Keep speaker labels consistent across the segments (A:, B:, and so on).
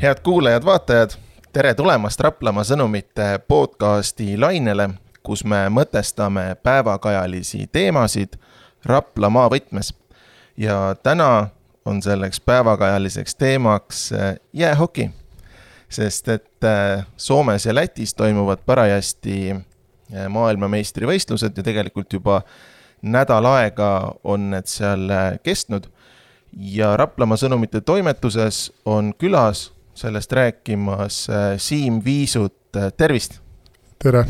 A: Head kuulajad, vaatajad, tere tulemast Raplamaa sõnumite podcasti lainele, kus me mõtestame päevakajalisi teemasid Raplamaa võtmes. Ja täna on selleks päevakajaliseks teemaks jäähoki, sest et Soomes ja Lätis toimuvad parajasti maailmameistrivõistlused ja tegelikult juba nädal aega on need seal kestnud. Ja Raplamaa sõnumite toimetuses on külas sellest rääkimas Siim Viisut. Tervist!
B: Tere!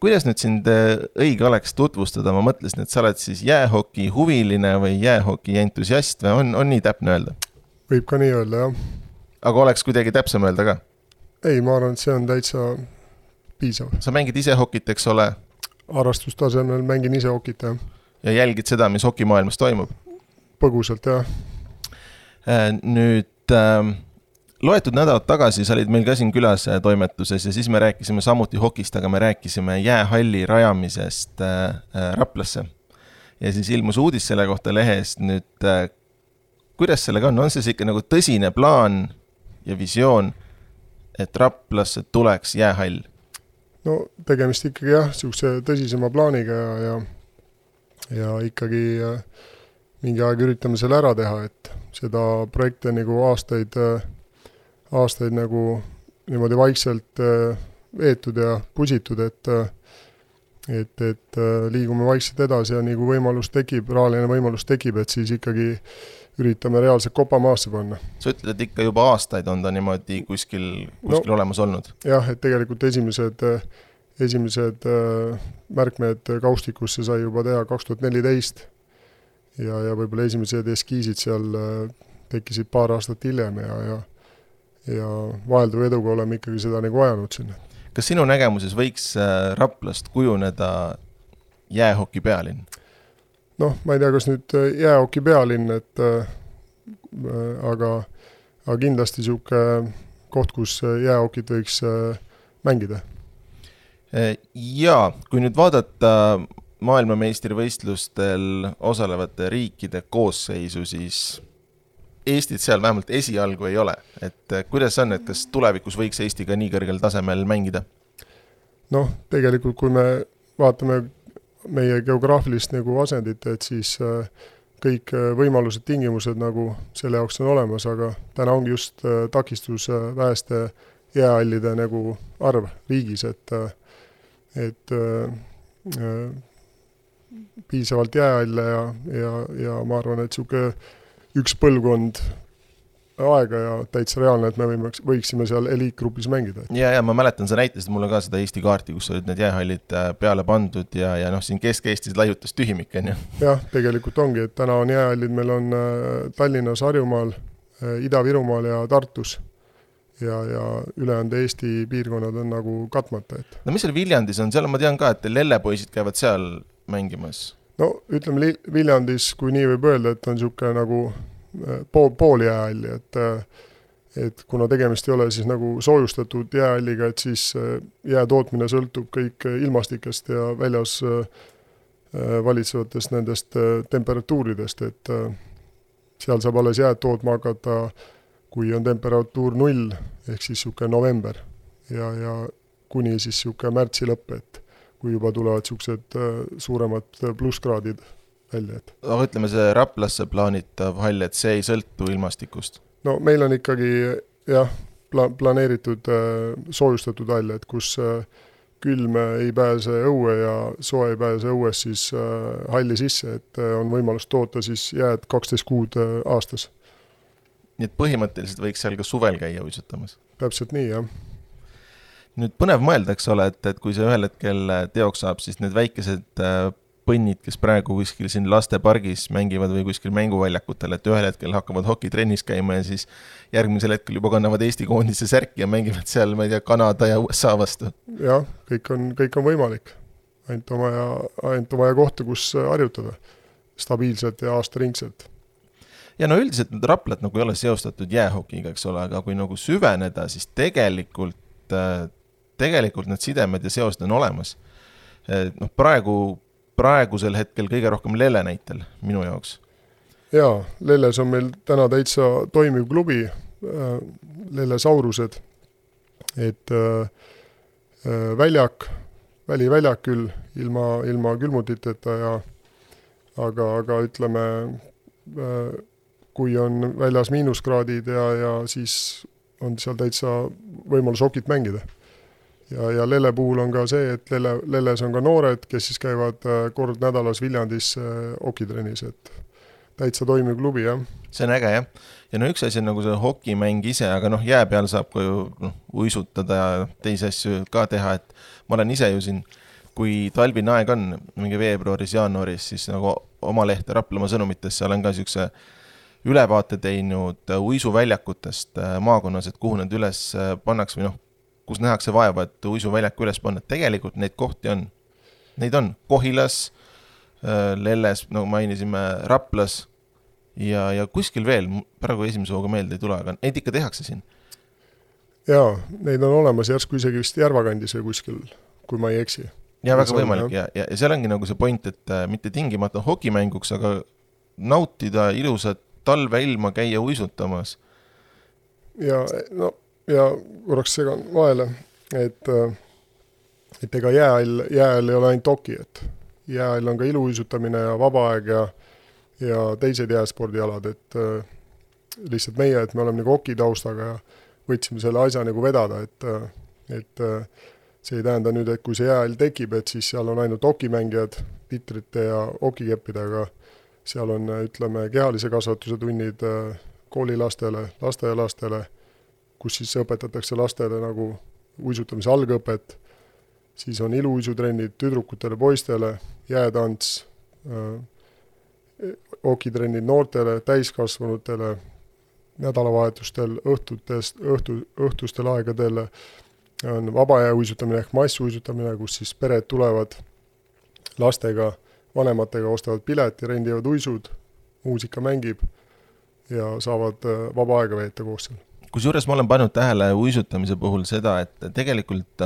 A: Kuidas nüüd sind õige oleks tutvustada? Ma mõtlesin, et sa oled siis jäähoki huviline või jäähoki entusiast või on nii täpne öelda?
B: Võib ka nii öelda, jah.
A: Aga oleks kuidagi täpsem öelda ka?
B: Ei, ma arvan, et see on täitsa piisav.
A: Sa mängid ise hokit, eks ole?
B: Harrastustasemel mängin ise hokit, jah.
A: Ja jälgid seda, mis hokimaailmas toimub?
B: Põgusalt, jah.
A: Nüüd loetud nädalat tagasi sa olid meil ka siin külas toimetuses ja siis me rääkisime samuti hokist, aga me rääkisime jäähalli rajamisest Raplasse. Ja siis ilmus uudis selle kohta lehest. Nüüd, kuidas sellega on? On see ikka nagu tõsine plaan ja visioon, et Raplasse tuleks jäähall?
B: No tegemist ikkagi jah, siukse tõsisema plaaniga ja ikkagi mingi aeg üritame selle ära teha, et seda projekte nagu aastaid nagu niimoodi vaikselt veetud ja pusitud, et liigume vaikselt edasi ja nagu võimalus tekib, rahaline võimalus tekib, et siis ikkagi üritame reaalselt kopa maasse panna.
A: Sa ütled, et ikka juba aastaid on ta niimoodi kuskil olemas olnud?
B: Jah, et tegelikult esimesed märkmed kaustikusse sai juba teha 2014 ja võib-olla esimesed eskiisid seal tekkisid paar aastat hiljem ja vahelduva eduga oleme ikkagi seda nagu ajanud sinna.
A: Kas sinu nägemuses võiks Raplast kujuneda jäähoki pealinn?
B: Noh, ma ei tea, kas nüüd jäähoki pealinn, aga kindlasti siuke koht, kus jäähokit võiks mängida.
A: Jaa, kui nüüd vaadata maailmameistrivõistlustel osalevate riikide koosseisu, siis Eestit seal vähemalt esialgu ei ole. Et kuidas on, et kas tulevikus võiks Eesti ka nii kõrgel tasemel mängida?
B: Noh, tegelikult kui me vaatame meie geograafilist nagu asendit, et siis kõik võimalused, tingimused nagu selle jaoks on olemas, aga täna ongi just takistus väheste jäähallide nagu arv riigis, et piisavalt jäähalle ja ma arvan, et siuke üks põlvkond aega ja täitsa reaalne, et me võiksime seal eliitgrupis mängida.
A: Ja ma mäletan, sa näitasid mulle ka seda Eesti kaarti, kus olid need jäähallid peale pandud ja siin Kesk-Eestis laiutas tühimik.
B: Jah, tegelikult ongi, et täna on jäähallid, meil on Tallinnas, Harjumaal, Ida-Virumaal ja Tartus ja ülejäänud Eesti piirkonnad on nagu katmata.
A: No mis seal Viljandis on? Seal ma tean ka, et lellepoisid käivad seal mängimas.
B: No ütleme Viljandis, kui nii võib öelda, et on siuke nagu pool jäähalli, et kuna tegemist ei ole siis nagu soojustatud jäähalliga, et siis jäätootmine sõltub kõik ilmastikest ja väljas valitsevatest nendest temperatuuridest, et seal saab alles jääd tootma hakata, kui on temperatuur 0, ehk siis siuke november ja kuni siis siuke märtsi lõpp, et kui juba tulevad siuksed suuremad plusskraadid välja.
A: Aga ütleme, see Raplasse plaanitav hall, et see ei sõltu ilmastikust?
B: No meil on ikkagi jah, planeeritud soojustatud hall, et kus külm ei pääse õue ja soe ei pääse õues siis halli sisse, et on võimalus toota siis jääd 12 kuud aastas.
A: Nii et põhimõtteliselt võiks seal ka suvel käia uisutamas?
B: Täpselt nii, jah.
A: Nüüd põnev mõelda, eks ole, et kui see ühel hetkel teoks saab, siis need väikesed põnnid, kes praegu kuskil siin lastepargis mängivad või kuskil mänguväljakutel, et ühel hetkel hakkavad hokitrennis käima ja siis järgmisel hetkel juba kannavad Eesti koondise särki ja mängivad seal, ma ei tea, Kanada ja USA vastu.
B: Jah, kõik on võimalik. Ainult on vaja kohta, kus harjutada stabiilselt ja aastaringselt.
A: Ja no üldiselt need Raplat nagu ei ole seostatud jäähokiga, eks ole, aga kui nagu süveneda, siis tegelikult need sidemed ja seosed on olemas. No praegusel hetkel kõige rohkem Lelle näitel minu jaoks.
B: Jaa, Lelles on meil täna täitsa toimiv klubi, lellesaurused, et väliväljak küll ilma külmutiteta aga ütleme, kui on väljas miinuskraadid ja siis on seal täitsa võimalus okit mängida. Ja lelle puhul on ka see, et lelles on ka noored, kes siis käivad kord nädalas Viljandis okitrennis, et täitsa toimiv klubi, jah.
A: See on äge, jah. Ja no üks asi on nagu see hokimäng ise, aga jää peal saab ka ju uisutada ja teisi asju ka teha, et ma olen ise ju siin, kui talvine aeg on mingi veebruaris, jaanuaris, siis nagu oma lehte Raplamaa sõnumitesse olen ka siukse ülevaate teinud uisuväljakutest maakonnas, et kuhu need üles pannaks või kus nähakse vaeva, et uisuväljaku üles panna. Tegelikult neid kohti on. Neid on Kohilas, Lelles, nagu mainisime, Raplas ja kuskil veel, praegu esimese hooga meelde ei tule, aga neid ikka tehakse siin.
B: Jaa, neid on olemas järsku isegi vist Järvakandis või kuskil, kui ma ei eksi.
A: Ja väga võimalik ja seal ongi nagu see point, et mitte tingimata hokimänguks, aga nautida ilusat talveilma käia uisutamas.
B: Ja korraks segan vahele, et ega jääl ei ole ainult hoki, et jääl on ka iluuisutamine ja vabaaeg ja teised jääspordialad, et lihtsalt meie, et me oleme nagu hoki taustaga ja võtsime selle asja nagu vedada, et see ei tähenda nüüd, et kui see jääl tekib, et siis seal on ainult hokimängijad titrite ja hokikeppidega, seal on, ütleme, kehalise kasvatuse tunnid koolilastele, lasteaialastele, kus siis õpetatakse lastele nagu uisutamise algõpet, siis on iluuisutrennid tüdrukutele, poistele, jäätants, hokitrennid noortele, täiskasvanutele, nädalavahetustel, õhtustel aegadel on vabajää uisutamine ehk massuisutamine, kus siis pered tulevad lastega, vanematega, ostavad pileti, rendivad uisud, muusika mängib ja saavad vaba aega veeta koos seal.
A: Kusjuures ma olen pannud tähele uisutamise puhul seda, et tegelikult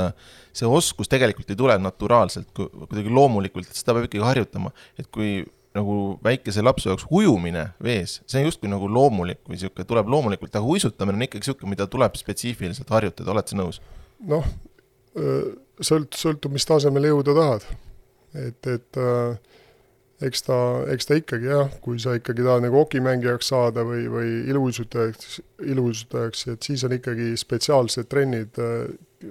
A: see oskus tegelikult ei tule naturaalselt, kuidagi loomulikult, et seda peab ikkagi harjutama. Et kui nagu väikese lapsu jaoks ujumine vees, see on justkui nagu loomulik või siuke, tuleb loomulikult, aga uisutamine on ikkagi siuke, mida tuleb spetsiifiliselt harjutada, oled sa nõus?
B: Sõltub, mis tasemele jõuda tahad. Et eks ta ikkagi, jah, kui sa ikkagi tahad nagu hokimängijaks saada või iluuisutajaks, et siis on ikkagi spetsiaalsed trennid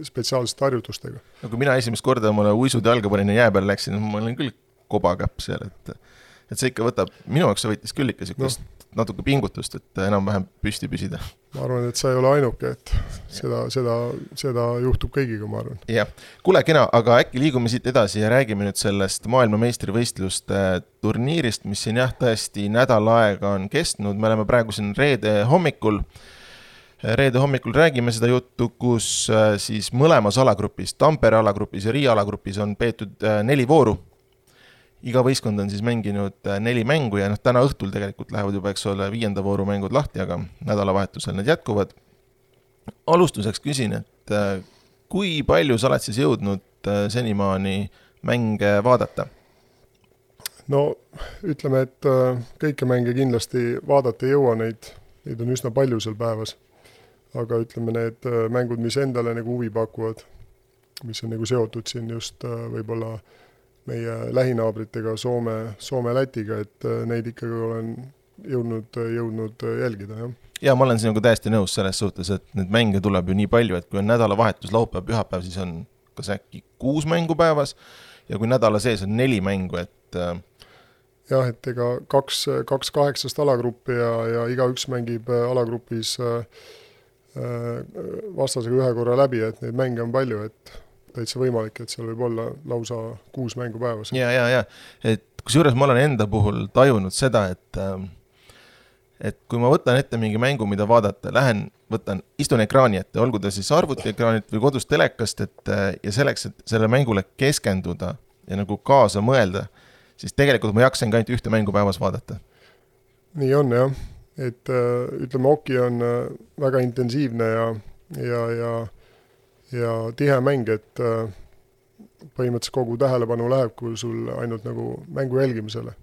B: spetsiaalsete harjutustega.
A: No kui mina esimest korda mulle uisud jalga panin ja jää peal läksin, ma olin küll kobakäpp seal, et see ikka võtab, minu jaoks see võttis küll ikka siukest natuke pingutust, et enam-vähem püsti püsida.
B: Ma arvan, et sa ei ole ainuke, et seda juhtub kõigiga, ma arvan.
A: Jah, kuule kena, aga äkki liigume siit edasi ja räägime nüüd sellest maailmameistrivõistluste turniirist, mis siin jah tõesti nädal aega on kestnud. Me oleme praegu siin reede hommikul räägime seda juttu, kus siis mõlemas alagrupis, Tampere alagrupis ja Riia alagrupis on peetud 4 vooru. Iga võistkond on siis mänginud 4 mängu ja täna õhtul tegelikult lähevad juba, eks ole, 5. vooru mängud lahti, aga nädalavahetusel need jätkuvad. Alustuseks küsin, et kui palju sa oled siis jõudnud senimaani mänge vaadata?
B: No ütleme, et kõike mänge kindlasti vaadata ei jõua, neid on üsna palju seal päevas. Aga ütleme, need mängud, mis endale nagu huvi pakuvad, mis on nagu seotud siin just võib-olla meie lähinaabritega Soome Lätiga, et neid ikkagi olen jõudnud jälgida, jah.
A: Ja ma olen sinuga täiesti nõus selles suhtes, et need mänge tuleb ju nii palju, et kui on nädalavahetus, laupäev, pühapäev, siis on kas äkki 6 mängu päevas ja kui nädala sees on 4 mängu, et
B: jah, et ega 2 8 alagruppi ja igaüks mängib alagrupis vastasega 1 korra läbi, et neid mänge on palju, et täitsa võimalik, et seal võib olla lausa 6 mängu päevas.
A: Ja. Et kusjuures ma olen enda puhul tajunud seda, et kui ma võtan ette mingi mängu, mida vaadata, istun ekraani ette, olgu ta siis arvutiekraanit või kodus telekast, ja selleks, et selle mängule keskenduda ja nagu kaasa mõelda, siis tegelikult ma jaksen ka ainult 1 mängu päevas vaadata. Nii
B: on, jah. Et ütleme, hoki on väga intensiivne ja tihe mäng, et põhimõtteliselt kogu tähelepanu läheb, kui sul ainult nagu mängu jälgimisele.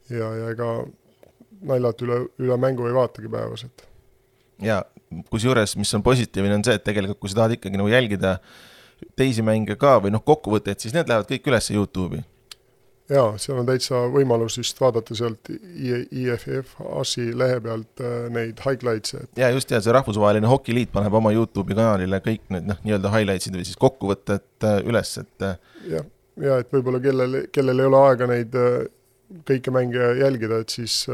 B: Ja ega naljalt üle mängu ei vaatagi päevas.
A: Ja kusjuures, mis on positiivne, on see, et tegelikult kui sa tahad ikkagi nagu jälgida teisi mänge ka või kokkuvõtteid, siis need lähevad kõik üles YouTube'i.
B: Jaa, seal on täitsa võimalus vist vaadata sealt IFF ASI lehe pealt neid highlights'e.
A: Ja just, see rahvusvaheline hokiliit paneb oma YouTube'i kanalile kõik need nii-öelda highlights'id või siis kokkuvõtted üles, et
B: ja et võib-olla kellel ei ole aega neid kõike mänge jälgida, et siis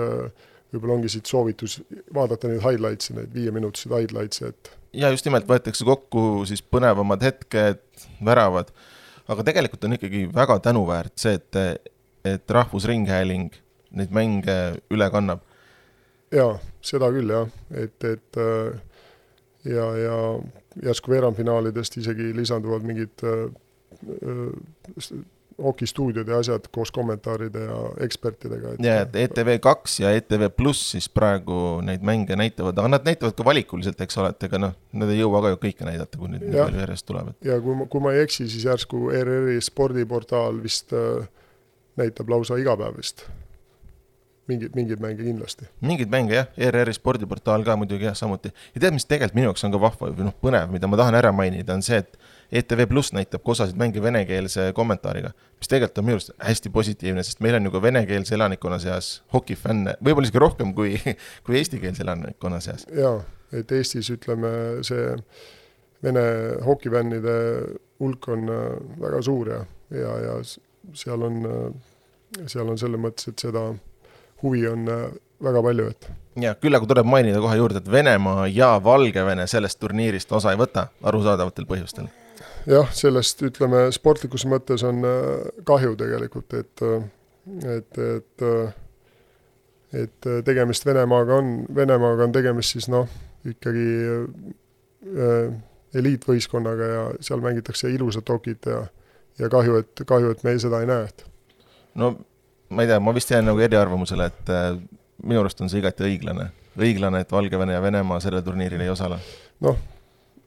B: võib-olla ongi siit soovitus vaadata neid highlights'e, neid 5-minutised highlights'e, et
A: ja just nimelt võetakse kokku siis põnevamad hetked, väravad. Aga tegelikult on ikkagi väga tänuväärt see, et Rahvusringhääling neid mänge üle kannab.
B: Jaa, seda küll jah, et ja järsku veerandfinaalidest isegi lisanduvad mingid hokistuudiod ja asjad koos kommentaaride ja ekspertidega.
A: Ja, et ETV2 ja ETV+ siis praegu neid mänge näitavad, aga nad näitavad ka valikuliselt, eks ole, et ega nad ei jõua ka ju kõike näidata, kui nüüd palju järjest tulevad.
B: Ja kui ma ei eksi, siis järsku ERR-i spordiportaal vist näitab lausa igapäevist. Mingid mänge kindlasti.
A: Mingid mänge jah, ERR-i spordiportaal ka muidugi jah, samuti. Ja tead, mis tegelikult minu jaoks on ka vahva või põnev, mida ma tahan ära mainida, on see, et ETV+ näitab osasid mänge venekeelse kommentaariga, mis tegelikult on minu arust hästi positiivne, sest meil on ju ka venekeelse elanikkonna seas hokifänne, võib-olla isegi rohkem kui eestikeelse elanikkonna seas.
B: Jaa, et Eestis ütleme see vene hokifännide hulk on väga suur ja seal on selle mõttes, et seda huvi on väga palju, et
A: ja küll aga tuleb mainida kohe juurde, et Venemaa ja Valgevene sellest turniirist osa ei võta arusaadavatel põhjustel.
B: Jah, sellest ütleme sportlikus mõttes on kahju tegelikult, et tegemist Venemaaga on tegemist siis ikkagi eliitvõistkonnaga ja seal mängitakse ilusat hokit ja kahju, et me seda ei näe.
A: No ma ei tea, ma vist jään nagu eriarvamusele, et minu arust on see igati õiglane, et Valgevene ja Venemaa selle turniiril ei osale.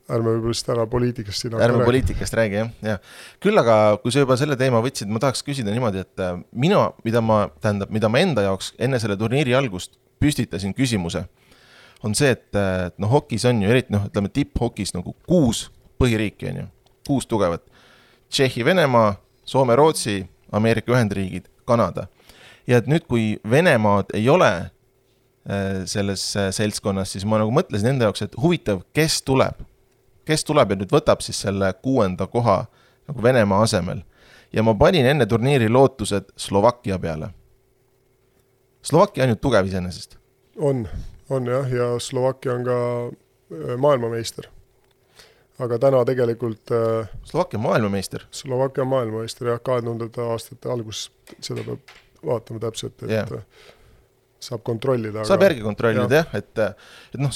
B: Ärme võib-olla ära poliitikast siin.
A: Ärme poliitikast räägi, jah. Küll aga, kui sa juba selle teema võtsid, ma tahaks küsida niimoodi, et mida ma enda jaoks enne selle turniiri algust püstitasin küsimuse, on see, et hokis on ju, eriti ütleme tipp-hokis 6 põhiriiki on ju, 6 tugevat. Tšehhi, Venemaa, Soome, Rootsi, Ameerika Ühendriigid, Kanada. Ja et nüüd, kui Venemaad ei ole selles seltskonnas, siis ma mõtlesin enda jaoks, et huvitav, kes tuleb ja nüüd võtab siis selle 6. koha Venemaa asemel. Ja ma panin enne turniiri lootused Slovakkia peale. Slovakkia on ju tugev iseenesest.
B: On jah, ja Slovakkia on ka maailmameister. Aga täna tegelikult
A: Slovakkia maailmameister?
B: Slovakkia maailmameister, jah, 2000 aastate algus, seda peab vaatama täpselt, et saab kontrollida.
A: Saab järgi kontrollida, jah, et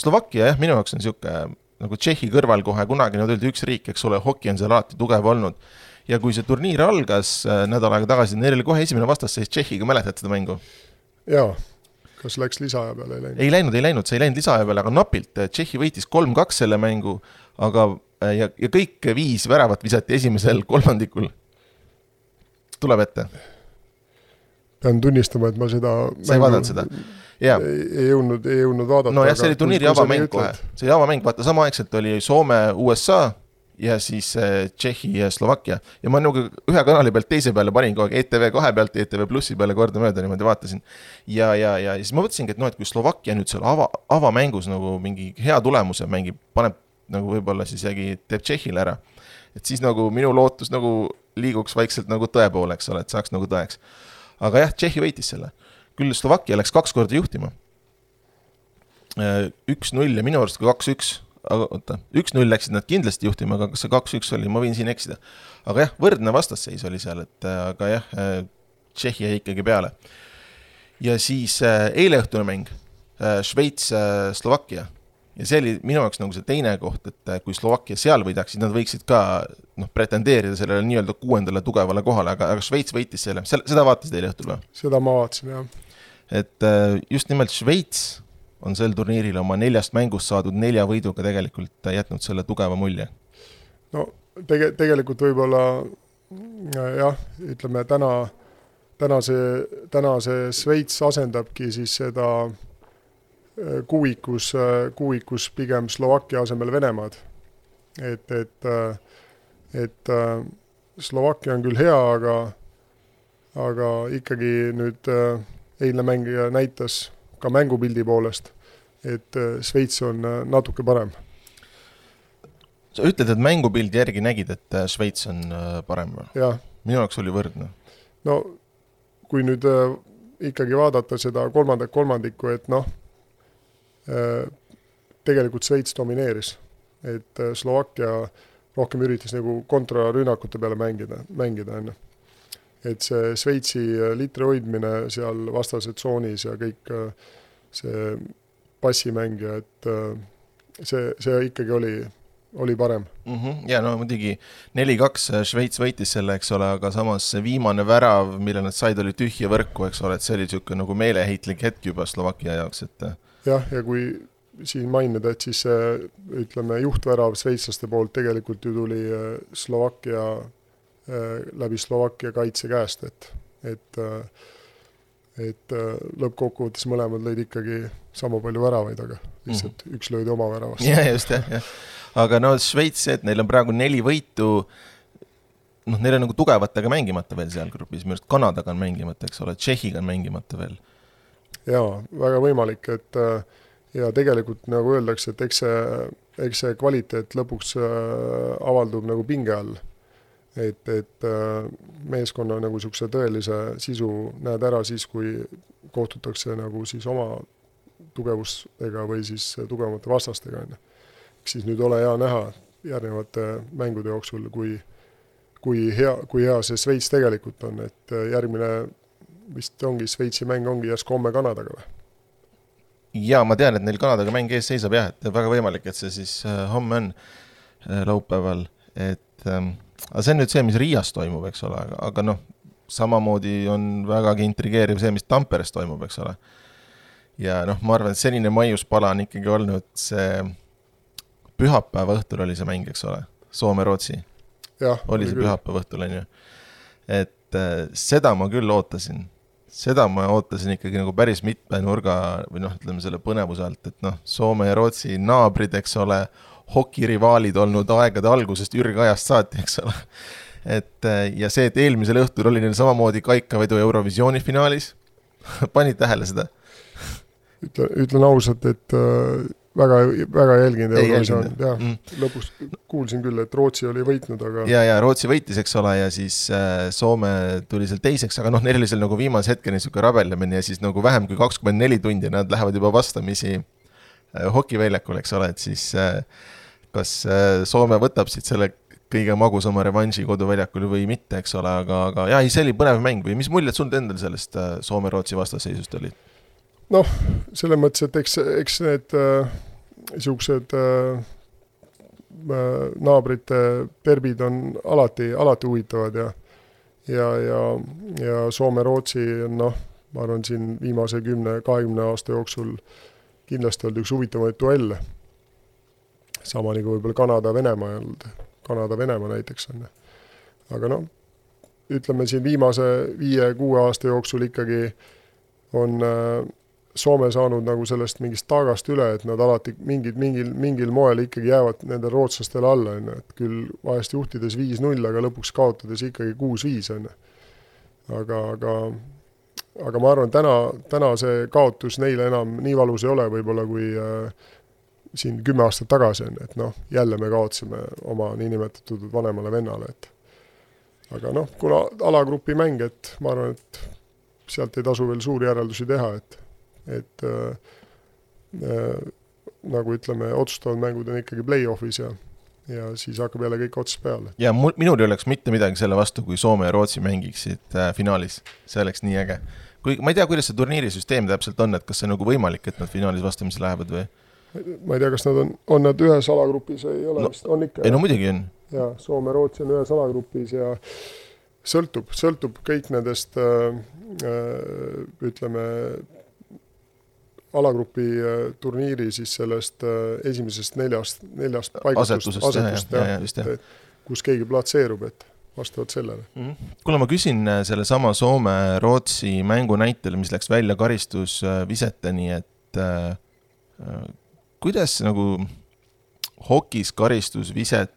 A: Slovakkia, jah, minu jaoks on siuke nagu Tšehhi kõrval kohe kunagi nad olid üks riik, eks ole, hoki on seal alati tugev olnud. Ja kui see turniir algas nädal aega tagasi, neil oli kohe esimene vastas seis Tšehhiga, mäletad seda mängu?
B: Jaa, kas läks lisaaja peale?
A: Ei läinud, see ei läinud lisaaja peale, aga napilt. Tšehhi võitis 3-2 selle mängu, aga ja kõik 5 väravat visati esimesel kolmandikul. Tuleb ette.
B: Pean tunnistama, et ma seda
A: sa ei vaadanud seda? Yeah.
B: Ei jõudnud vaadata.
A: No jah, see oli turniiri avamäng kohe. See oli avamäng, vaata, samaaegselt oli Soome, USA ja siis Tšehhi ja Slovakkia. Ja ma ühe kanali pealt teise peale panin kogu aeg ETV2 pealt, ETV+ peale korda mööda niimoodi vaatasin. Ja siis ma mõtlesingi, et et kui Slovakkia nüüd seal avamängus mingi hea tulemuse mängib, paneb võib-olla siis teeb Tšehhile ära. Et siis minu lootus liiguks vaikselt tõe poole, eks ole, et saaks tõeks. Aga jah, Tšehhi võitis selle. Küll Slovakkia läks 2 korda juhtima. 1-0 ja minu arust 2-1. Aga 1-0 läksid nad kindlasti juhtima, aga kas see 2-1 oli, ma võin siin eksida. Aga jah, võrdne vastasseis oli seal, aga jah, Tšehhi jäi ikkagi peale. Ja siis eileõhtune mäng, Šveits, Slovakkia. Ja see oli minu jaoks see teine koht, et kui Slovakkia seal võidaksid, nad võiksid ka pretendeerida sellele nii-öelda 6. tugevale kohale, aga Šveits võitis selle. Seda vaatasid eileõhtul või?
B: Seda ma vaatasin, jah.
A: Et just nimelt Šveits on sel turniiril oma 4 mängust saadud 4 võiduga tegelikult jätnud selle tugeva mulje.
B: No tegelikult võib-olla jah, ütleme täna see Šveits asendabki siis seda kuuikus pigem Slovakkia asemel Venemaad. Et Slovakkia on küll hea, aga ikkagi nüüd eilne mängija näitas ka mängupildi poolest, et Šveits on natuke parem.
A: Sa ütled, et mängupildi järgi nägid, et Šveits on parem või?
B: Jah.
A: Minu jaoks oli võrdne.
B: No kui nüüd ikkagi vaadata seda kolmandikku, et tegelikult Šveits domineeris, et Slovakkia rohkem üritas nagu kontrarünnakute peale mängida enne. Et see Šveitsi litri hoidmine seal vastase tsoonis ja kõik see passimängija, et see ikkagi oli parem.
A: Ja no muidugi 4-2 Šveits võitis selle, eks ole, aga samas see viimane värav, mille nad said, oli tühja võrku, eks ole, et see oli niisugune nagu meeleheitlik hetk juba Slovakkia jaoks, et
B: jah, ja kui siin mainida, et siis ütleme juhtvärav šveitslaste poolt tegelikult ju tuli läbi Slovakkia kaitse käest, et lõppkokkuvõttes mõlemad lõid ikkagi sama palju väravaid, aga lihtsalt üks löödi oma väravast.
A: Ja just, jah. Aga no Šveits, et neil on praegu 4 võitu, neil on nagu tugevatega mängimata veel seal grupis, minu arust Kanadaga on mängimata, eks ole, Tšehhiga on mängimata veel.
B: Jaa, väga võimalik, et ja tegelikult nagu öeldakse, et eks see kvaliteet lõpuks avaldub nagu pinge all. Et meeskonna nagu sukse tõelise sisu näed ära siis, kui kohtutakse nagu siis oma tugevustega või siis tugevamate vastastega. Siis nüüd ole hea näha järgnevate mängude jooksul, kui hea see Šveits tegelikult on, et järgmine vist ongi Šveitsi mäng ongi järsku homme Kanadaga või?
A: Ja ma tean, et neil Kanadaga mäng ees seisab jah, et väga võimalik, et see siis homme on laupäeval, et aga see on nüüd see, mis Riias toimub, eks ole, aga samamoodi on vägagi intrigeeriv see, mis Tamperes toimub, eks ole. Ja ma arvan, et senine maiuspala on ikkagi olnud see pühapäeva õhtul oli see mäng, eks ole, Soome-Rootsi.
B: Jah,
A: oli see pühapäeva õhtul, on ju. Et seda ma küll ootasin. Seda ma ootasin ikkagi nagu päris mitme nurga või ütleme selle põnevuse alt, et Soome ja Rootsi naabrid, eks ole, hokirivaalid olnud aegade algusest ürgajast saati, eks ole. Ja see, et eelmisel õhtul oli neil samamoodi kaikavedu Eurovisiooni finaalis. Panid tähele seda?
B: Ütlen ausalt, et väga jälginud Eurovisioon. Lõpus kuulsin küll, et Rootsi oli võitnud, aga
A: ja Rootsi võitis, eks ole, ja siis Soome tuli seal teiseks, aga neil oli seal nagu viimase hetkeni niisugune rabellemine ja siis nagu vähem kui 24 tundi nad lähevad juba vastamisi hokiväljakul, eks ole, et siis kas Soome võtab siit selle kõige magusama revanši koduväljakul või mitte, eks ole, aga see oli põnev mäng või mis muljed sul endal sellest Soome-Rootsi vastaseisust oli?
B: Selles mõttes, et eks need niisugused naabrite derbid on alati huvitavad ja Soome-Rootsi on, ma arvan, siin viimase 10-20 aasta jooksul kindlasti olnud üks huvitavaid duelle. Sama nagu võib-olla Kanada-Venemaa Kanada-Venemaa näiteks on. Aga ütleme siin viimase 5-6 aasta jooksul ikkagi on Soome saanud nagu sellest mingist taagast üle, et nad alati mingil moel ikkagi jäävad nendel rootslastele alla, et küll vahest juhtides 5-0, aga lõpuks kaotades ikkagi 6-5. Aga ma arvan, täna see kaotus neile enam nii valus ei ole võib-olla kui siin 10 aastat tagasi on, et jälle me kaotsime oma niinimetatud vanemale vennale. Aga kuna alagrupi mäng, et ma arvan, et sealt ei tasu veel suuri järeldusi teha, et nagu ütleme, otsustavad mängud on ikkagi play-offis ja siis hakkab jälle kõik ots peale.
A: Ja minul ei oleks mitte midagi selle vastu, kui Soome ja Rootsi mängiksid finaalis. See oleks nii äge. Ma ei tea, kuidas see turniirisüsteem täpselt on, et kas see on nagu võimalik, et nad finaalis vastamisi lähevad või?
B: Ma ei tea, kas nad on nad ühes alagrupis ei ole, on ikka.
A: Ei, muidugi on.
B: Ja Soome, Rootsi on ühes alagrupis ja sõltub kõik nendest ütleme alagrupi turniiri siis sellest esimesest neljast paigutust
A: asetust,
B: kus keegi platseerub, et vastavalt sellele.
A: Kuule, ma küsin selle sama Soome-Rootsi mängu näitel, mis läks välja karistusviseteni, et kuidas nagu hokis karistusviset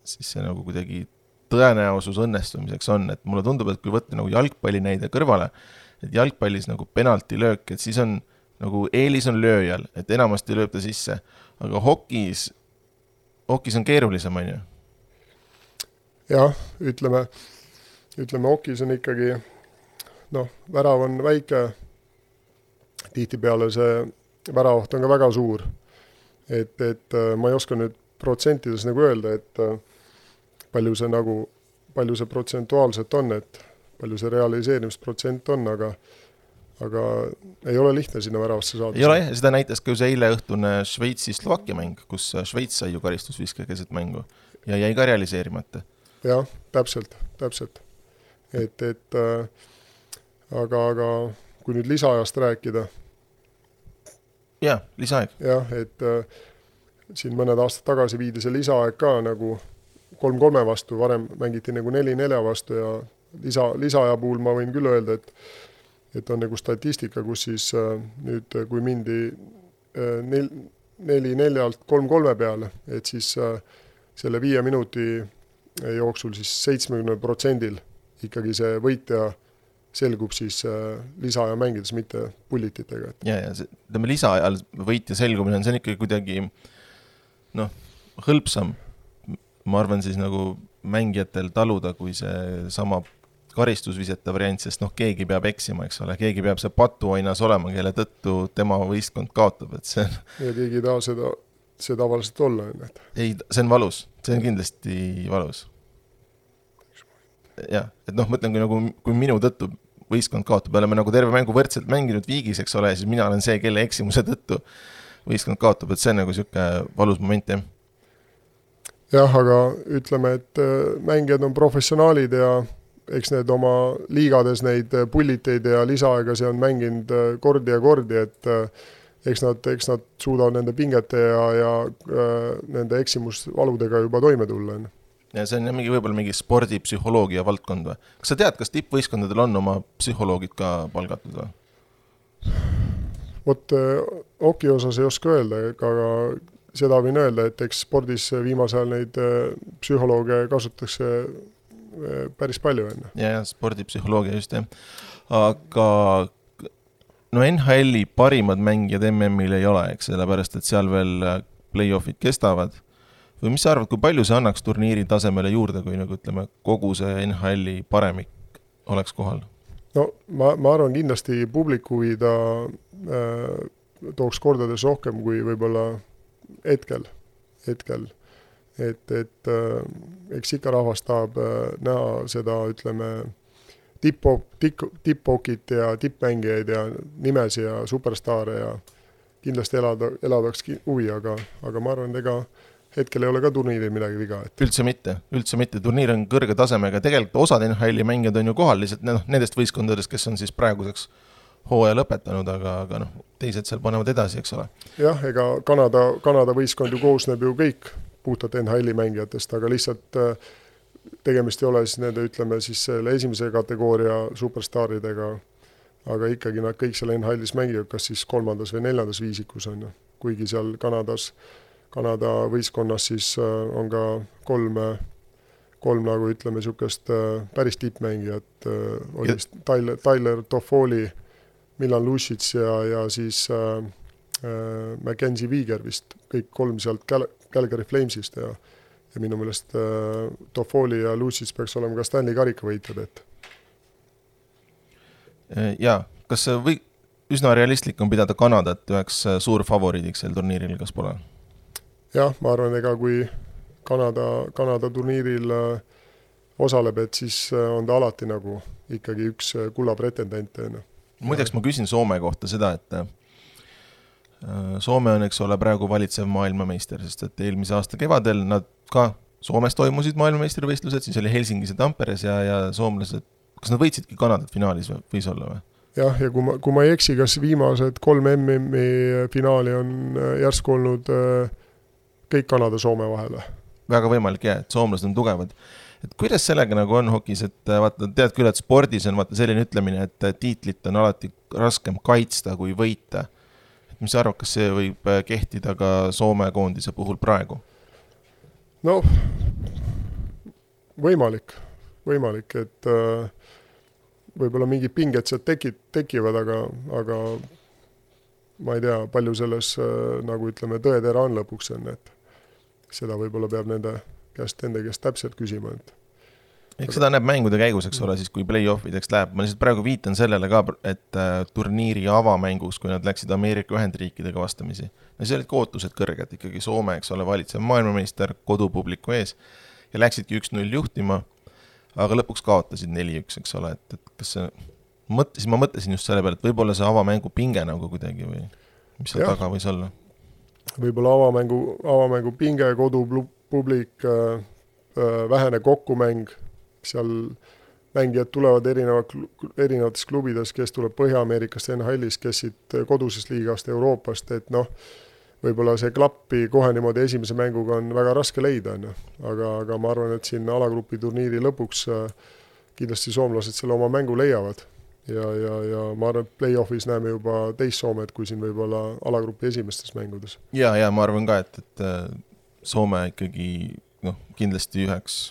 A: siis see nagu kuidagi tõenäosus õnnestumiseks on, et mulle tundub, et kui võtta nagu jalgpalli näide kõrvale, et jalgpallis nagu penaltilöök, et siis on nagu eelis on lööjal, et enamasti lööb ta sisse, aga hokis on keerulisem, on ju?
B: Jah, ütleme hokis on ikkagi, värav on väike, tihtipeale see väravaht on ka väga suur, et ma ei oska nüüd protsentides nagu öelda, et palju see protsentuaalselt on, et palju see realiseerimisprotsent on, aga ei ole lihtne sinna väravasse saada.
A: Ei ole, seda näitas ka ju see eile õhtune Šveitsi-Slovakkia mäng, kus Šveits sai ju karistusviske keset mängu ja jäi ka realiseerimata.
B: Jah, täpselt. Aga kui nüüd lisaajast rääkida.
A: Jah, lisaaeg.
B: Jah, et siin mõned aastad tagasi viidi see lisaaeg ka nagu 3-3 vastu, varem mängiti nagu 4-4 vastu ja lisaaja puhul ma võin küll öelda, et on nagu statistika, kus siis nüüd kui mindi 4-4-lt 3-3 peale, et siis selle 5 minuti jooksul siis 70% ikkagi see võitja selgub siis lisaaja mängides, mitte pullititega.
A: Ja lisaajal võitja selgumine on ikkagi kuidagi hõlpsam, ma arvan siis nagu mängijatel taluda, kui see sama karistusviseta variant, sest keegi peab eksima, eks ole, keegi peab see patuoinas olema, kelle tõttu tema võistkond kaotab, et see on...
B: Ja keegi ei taha see tavaliselt olla.
A: Ei, see on valus, see on kindlasti valus. Jah, et mõtlen, kui minu tõttu võistkond kaotab, oleme nagu terve mängu võrdselt mänginud viigis, eks ole, siis mina olen see, kelle eksimuse tõttu võistkond kaotab, et see on nagu siuke valus moment, jah.
B: Jah, aga ütleme, et mängijad on professionaalid ja eks need oma liigades neid pulliteid ja lisaaega see on mänginud kordi ja kordi, et eks nad suudavad nende pingete ja nende eksimusvaludega juba toime tulla.
A: Ja see on võib-olla mingi spordipsühholoogia valdkond või? Kas sa tead, kas tippvõistkondadel on oma psühholoogid ka palgatud või?
B: Vot hoki osas ei oska öelda, aga seda võin öelda, et eks spordis viimase ajal neid psühholooge kasutatakse päris palju enne.
A: Ja, spordipsühholoogia just, jah. Aga NHL-i parimad mängijad MM-il ei ole, eks, sellepärast, et seal veel play-offid kestavad. Või mis sa arvad, kui palju see annaks turniiri tasemele juurde, kui ütleme, kogu see NHL-i paremik oleks kohal?
B: Ma arvan kindlasti publiku huvi ta tooks kordades rohkem kui võib-olla hetkel. Et eks ikka rahvas tahab näha seda, ütleme, tipp-hokit ja tippmängijaid ja nimesi ja superstaare ja kindlasti eladaks huvi, aga ma arvan, ega hetkel ei ole ka turniiril midagi viga.
A: Üldse mitte. Turniir on kõrge tasemega. Tegelikult osad NHL-i mängijad on ju kohal lihtsalt nendest võistkondadest, kes on siis praeguseks hooaja lõpetanud, aga teised seal panevad edasi, eks ole.
B: Jah, ega Kanada võistkond ju koosneb ju kõik puhtalt NHL-i mängijatest, aga lihtsalt tegemist ei ole siis nende, ütleme siis selle esimese kategooria superstaaridega, aga ikkagi nad kõik seal NHL-is mängivad, kas siis 3. või 4. viisikus on. Kuigi seal Kanada võistkonnas siis on ka kolm nagu ütleme niisugust päris tippmängijat, oli Tyler Toffoli, Milan Lucic ja siis Mackenzie Weegar vist, kõik kolm sealt Calgary Flamesist ja minu meelest Toffoli ja Lucic peaks olema ka Stanley karika võitjad, et.
A: Ja, kas üsna realistlik on pidada Kanadat üheks suur favoriidiks sel turniiril, kas pole?
B: Jah, ma arvan, ega kui Kanada turniiril osaleb, et siis on ta alati nagu ikkagi üks kulla pretendente.
A: Muideks ma küsin Soome kohta seda, et Soome on, eks ole, praegu valitsev maailmameister, sest et eelmise aasta kevadel nad ka Soomes toimusid maailmameistrivõistlused, siis oli Helsingis ja Tamperes ja soomlased, kas nad võitsidki Kanadat finaalis võis olla või?
B: Jah, ja kui ma ei eksi, kas viimased 3 MM-i finaali on järsku olnud kõik Kanada-Soome vahele.
A: Väga võimalik, jah, et soomlased on tugevad. Et kuidas sellega nagu on hokis, et vaata, tead küll, et spordis on vaata selline ütlemine, et tiitlit on alati raskem kaitsta kui võita. mis sa arvad, kas see võib kehtida ka Soome koondise puhul praegu?
B: No, võimalik, et võib-olla mingid pinged sealt tekivad, aga ma ei tea, palju selles, nagu ütleme, tõetera on lõpuks enne, et seda võib-olla peab enda käest täpselt küsima,
A: Eks seda näeb mängude käigus, eks ole, siis kui play-offideks läheb. Ma lihtsalt praegu viitan sellele ka, et turniiri avamängus, kui nad läksid Ameerika Ühendriikidega vastamisi, ja see olid ootused kõrged, ikkagi Soome, eks ole, valitsev maailmameister kodupubliku ees ja läksidki 1-0 juhtima, aga lõpuks kaotasid 4-1, eks ole, et kas see, ma mõtlesin just selle peale, et võib-olla see avamängu pinge nagu kuidagi või mis seal taga võis olla?
B: Võib-olla avamängu pinge, kodupublik, vähene kokkumäng, seal mängijad tulevad erinevates klubides, kes tuleb Põhja-Ameerikast, NHL-ist, kes siit kodusest liigast, Euroopast, et võib-olla see klappi kohe niimoodi esimese mänguga on väga raske leida, aga ma arvan, et siin alagrupi turniiri lõpuks kindlasti soomlased selle oma mängu leiavad ja ma arvan, et play-offis näeme juba teist Soomet, kui siin võib-olla alagrupi esimestes mängudes.
A: Ja ma arvan ka, et Soome ikkagi kindlasti üheks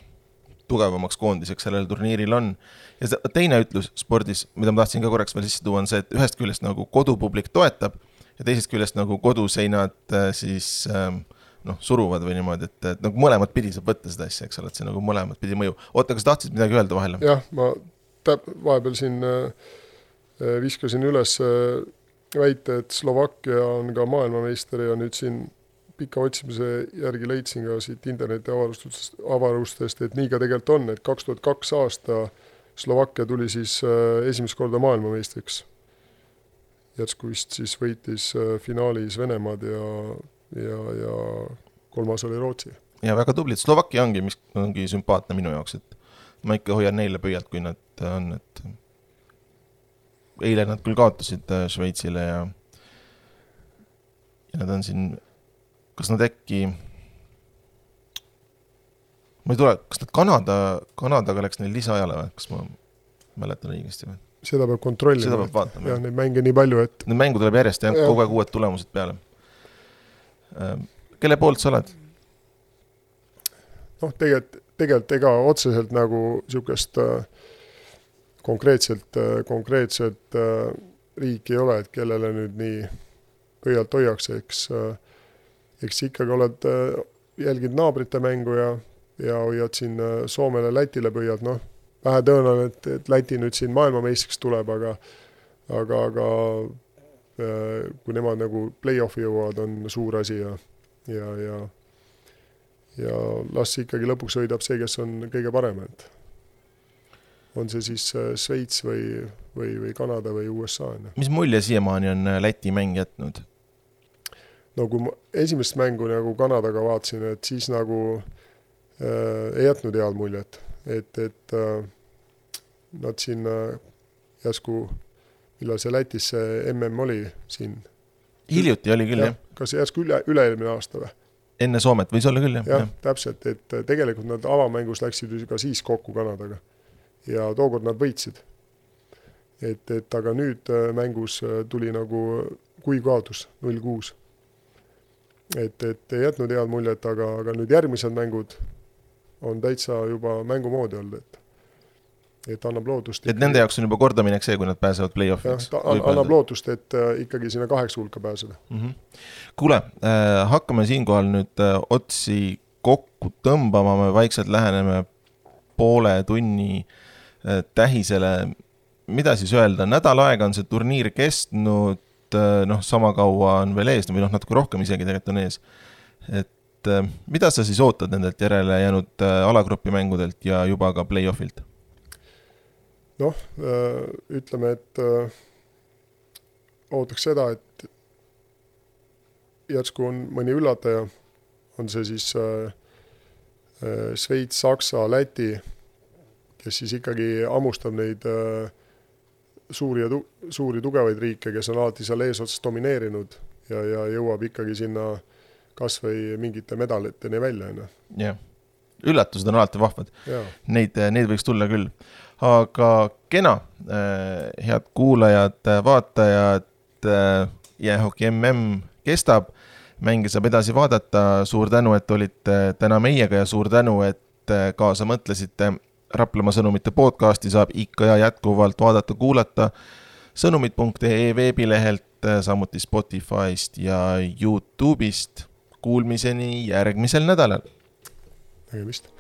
A: tugevamaks koondiseks sellel turniiril on. Ja teine ütlus spordis, mida ma tahtsin ka korraks veel sisse tuua, on see, et ühest küljest nagu kodupublik toetab ja teisest küljest nagu koduseinad siis suruvad või niimoodi, et nagu mõlemad pidi saab võtta seda asja, eks ole, et see nagu mõlemad pidi mõju. Oota, kas tahtsid midagi öelda vahele?
B: Jah, ma vahepeal siin viskasin üles väite, et Slovakkia on ka maailmameister ja nüüd siin pika otsimise järgi leidsin ka siit interneti avarustest, et nii ka tegelikult on, et 2002 aasta Slovakkia tuli siis esimest korda maailmameistriks. Jätsku vist siis võitis finaalis Venemaad ja kolmas oli Rootsi.
A: Ja väga tublid. Slovakkia ongi sümpaatne minu jaoks, et ma ikka hoian neile pöialt, kui nad on, et eile nad küll kaotasid Šveitsile ja nad on siin. Kas nad äkki, ma ei tule, kas nad Kanadaga läks neil lisaajale või? Kas ma mäletan õigesti või?
B: Seda peab kontrollima.
A: Seda peab vaatama.
B: Ja neid mänge nii palju, et...
A: Need mängu tuleb järjest ja kogu aeg uued tulemused peale. Kelle poolt sa oled?
B: Tegelikult ega otseselt nagu niisugust konkreetselt riiki ei ole, et kellele nüüd nii pöialt hoiaks, eks ikkagi oled jälgid naabrite mängu ja hoiad siin Soomele, Lätile pöialt, vähe tõenäoline, et Läti nüüd siin maailmameistriks tuleb, aga kui nemad nagu play-offi jõuavad, on suur asi ja las ikkagi lõpuks võidab see, kes on kõige parem, et on see siis Šveits või Kanada või USA.
A: Mis mulje siiamaani on Läti mäng jätnud?
B: No kui ma esimest mängu nagu Kanadaga vaatasin, et siis nagu ei jätnud head muljet, et nad siin järsku, millal see Lätis see MM oli siin?
A: Hiljuti oli küll, jah.
B: Kas järsku üle-eelmine aasta või?
A: Enne Soomet võis olla küll, jah.
B: Jah, täpselt, et tegelikult nad avamängus läksid ka siis kokku Kanadaga ja tookord nad võitsid. Et aga nüüd mängus tuli nagu kui kaotus 0-6. Et ei jätnud head muljet, aga nüüd järgmised mängud on täitsa juba mängumoodi olnud, et annab lootust.
A: Et nende jaoks on juba kordaminek see, kui nad pääsevad play-offiks.
B: Annab lootust, et ikkagi sinna 8 hulka pääseda.
A: Kuule, hakkame siinkohal nüüd otsi kokku tõmbama, me vaikselt läheneme poole tunni tähisele. Mida siis öelda? Nädal aega on see turniir kestnud, sama kaua on veel ees, või natuke rohkem isegi tegelikult on ees. Et mida sa siis ootad nendelt järele jäänud alagrupi mängudelt ja juba ka play-offilt?
B: Ütleme, et ootaks seda, et järsku on mõni üllataja, on see siis Šveits, Saksa, Läti, kes siis ikkagi ammustab neid suuri tugevaid riike, kes on alati seal eesotsas domineerinud ja jõuab ikkagi sinna kas või mingite medaliteni välja.
A: Jah, üllatused on alati vahvad. Neid võiks tulla küll. Aga kena, head kuulajad, vaatajad, jäähoki MM kestab, mänge saab edasi vaadata, suur tänu, et olite täna meiega ja suur tänu, et kaasa mõtlesite. Raplamaa sõnumite podcasti saab ikka ja jätkuvalt vaadata-kuulata sõnumid.ee veebilehelt, samuti Spotify'st ja YouTube'ist. Kuulmiseni järgmisel nädalal.
B: Nägemist.